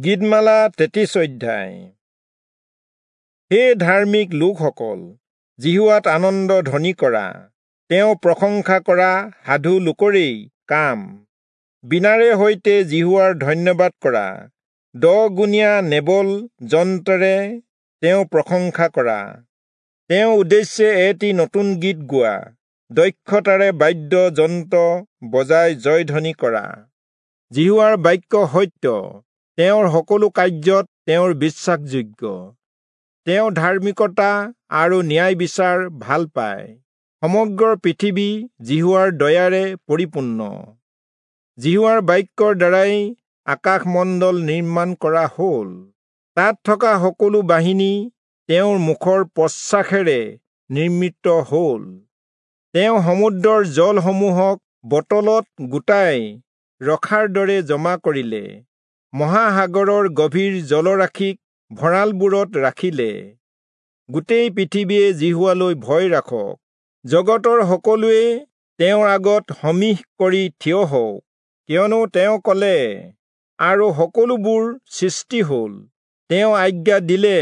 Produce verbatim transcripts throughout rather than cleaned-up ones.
গীতমালা তেত্ৰিশ অধ্যায়। হে ধাৰ্মিক লোকসকল, যিহোৱাত আনন্দ ধ্বনি কৰা, তেওঁ প্ৰশংসা কৰা সাধু লোকৰেই কাম। বীণাৰে সৈতে যিহোৱাৰ ধন্যবাদ কৰা, দহগুণীয়া নেবল যন্ত্ৰেৰে তেওঁ প্ৰশংসা কৰা। তেওঁ উদ্দেশ্যে এটি নতুন গীত গোৱা, দক্ষতাৰে বাদ্য যন্ত্ৰ বজাই জয়ধ্বনি কৰা। যিহোৱাৰ বাক্য সত্য, তেওঁৰ সকলো কাৰ্যত তেওঁৰ বিশ্বাসযোগ্য। তেওঁ ধাৰ্মিকতা আৰু ন্যায় বিচাৰ ভাল পায়। সমগ্ৰ পৃথিৱী যিহোৱাৰ দয়াৰে পৰিপূৰ্ণ। যিহোৱাৰ বাক্যৰ দ্বাৰাই আকাশমণ্ডল নিৰ্মাণ কৰা হ'ল, তাত থকা সকলো বাহিনী তেওঁৰ মুখৰ প্ৰশ্বাসেৰে নিৰ্মিত হ'ল। তেওঁ সমুদ্ৰৰ জলসমূহক বটলত গোটাই ৰখাৰ দৰে জমা কৰিলে, মহাসাগৰৰ গভীৰ জলৰাশিক ভঁৰালবোৰত ৰাখিলে। গোটেই পৃথিৱীয়ে যিহোৱালৈ ভয় ৰাখক, জগতৰ সকলোৱে তেওঁৰ আগত সমীহ কৰি থিয় হওক। কিয়নো তেওঁ ক'লে, আৰু সকলোবোৰ সৃষ্টি হ'ল, তেওঁ আজ্ঞা দিলে,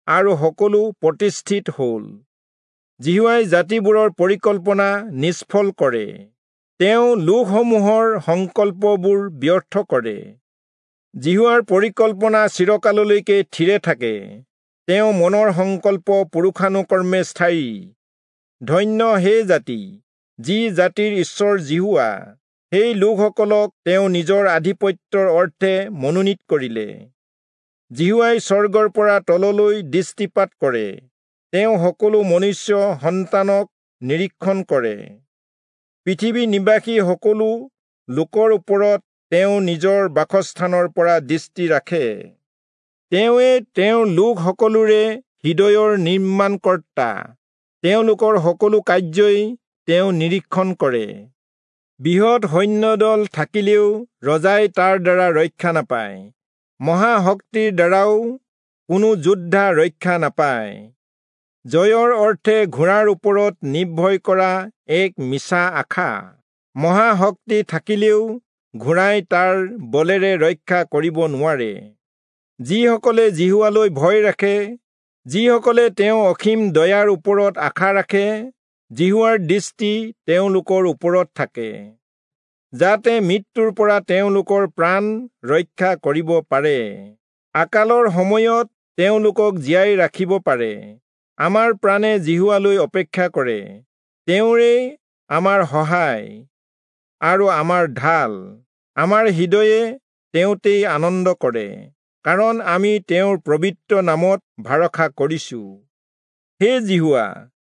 আৰু সকলো প্ৰতিষ্ঠিত হ'ল। যিহোৱাই জাতিবোৰৰ পৰিকল্পনা নিষ্ফল কৰে, তেওঁ লোকসমূহৰ সংকল্পবোৰ ব্যৰ্থ কৰে। যিহোৱাৰ পৰিকল্পনা চিৰকাললৈকে থিৰে থাকে, তেওঁ মনৰ সংকল্প পুৰুষানুকৰ্মে স্থায়ী। ধন্য সেই জাতি, যি জাতিৰ ঈশ্বৰ যিহোৱা, সেই লোকসকলক তেওঁ নিজৰ আধিপত্যৰ অৰ্থে মনোনীত কৰিলে। যিহোৱাই স্বৰ্গৰ পৰা তললৈ দৃষ্টিপাত কৰে, তেওঁ সকলো মনুষ্য সন্তানক নিৰীক্ষণ কৰে। পৃথিৱী নিবাসী সকলো লোকৰ ওপৰত তেওঁ নিজৰ বাসস্থানৰ পৰা দৃষ্টি ৰাখে। তেওঁৱে তেওঁৰ লোক সকলোৰে হৃদয়ৰ নিৰ্মাণকৰ্তা, তেওঁলোকৰ সকলো কাৰ্যই তেওঁ নিৰীক্ষণ কৰে। বৃহৎ সৈন্যদল থাকিলেও ৰজাই তাৰ দ্বাৰা ৰক্ষা নাপায়, মহাশক্তিৰ দ্বাৰাও কোনো যোদ্ধা ৰক্ষা নাপায়। জয়ৰ অৰ্থে ঘোঁৰাৰ ওপৰত নিৰ্ভয় কৰা এক মিছা আশা, মহাশক্তি থাকিলেও ঘোঁৰাই তাৰ বলেৰে ৰক্ষা কৰিব নোৱাৰে। যিসকলে যিহোৱালৈ ভয় ৰাখে, যিসকলে তেওঁ অসীম দয়াৰ ওপৰত আশা ৰাখে, যিহোৱাৰ দৃষ্টি তেওঁলোকৰ ওপৰত থাকে, যাতে মৃত্যুৰ পৰা তেওঁলোকৰ প্ৰাণ ৰক্ষা কৰিব পাৰে, আকালৰ সময়ত তেওঁলোকক জীয়াই ৰাখিব পাৰে। আমাৰ প্ৰাণে যিহোৱালৈ অপেক্ষা কৰে, তেওঁৰেই আমাৰ সহায় আৰু আমাৰ ঢাল। আমাৰ হৃদয়ে তেওঁতেই আনন্দ কৰে, কাৰণ আমি তেওঁৰ পবিত্ৰ নামত ভৰসা কৰিছো। হে যিহোৱা,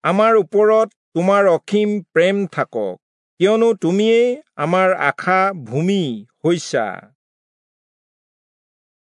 আমাৰ ওপৰত তোমাৰ অসীম প্ৰেম থাকক, কিয়নো তুমিয়েই আমাৰ আশা ভূমি হৈছা।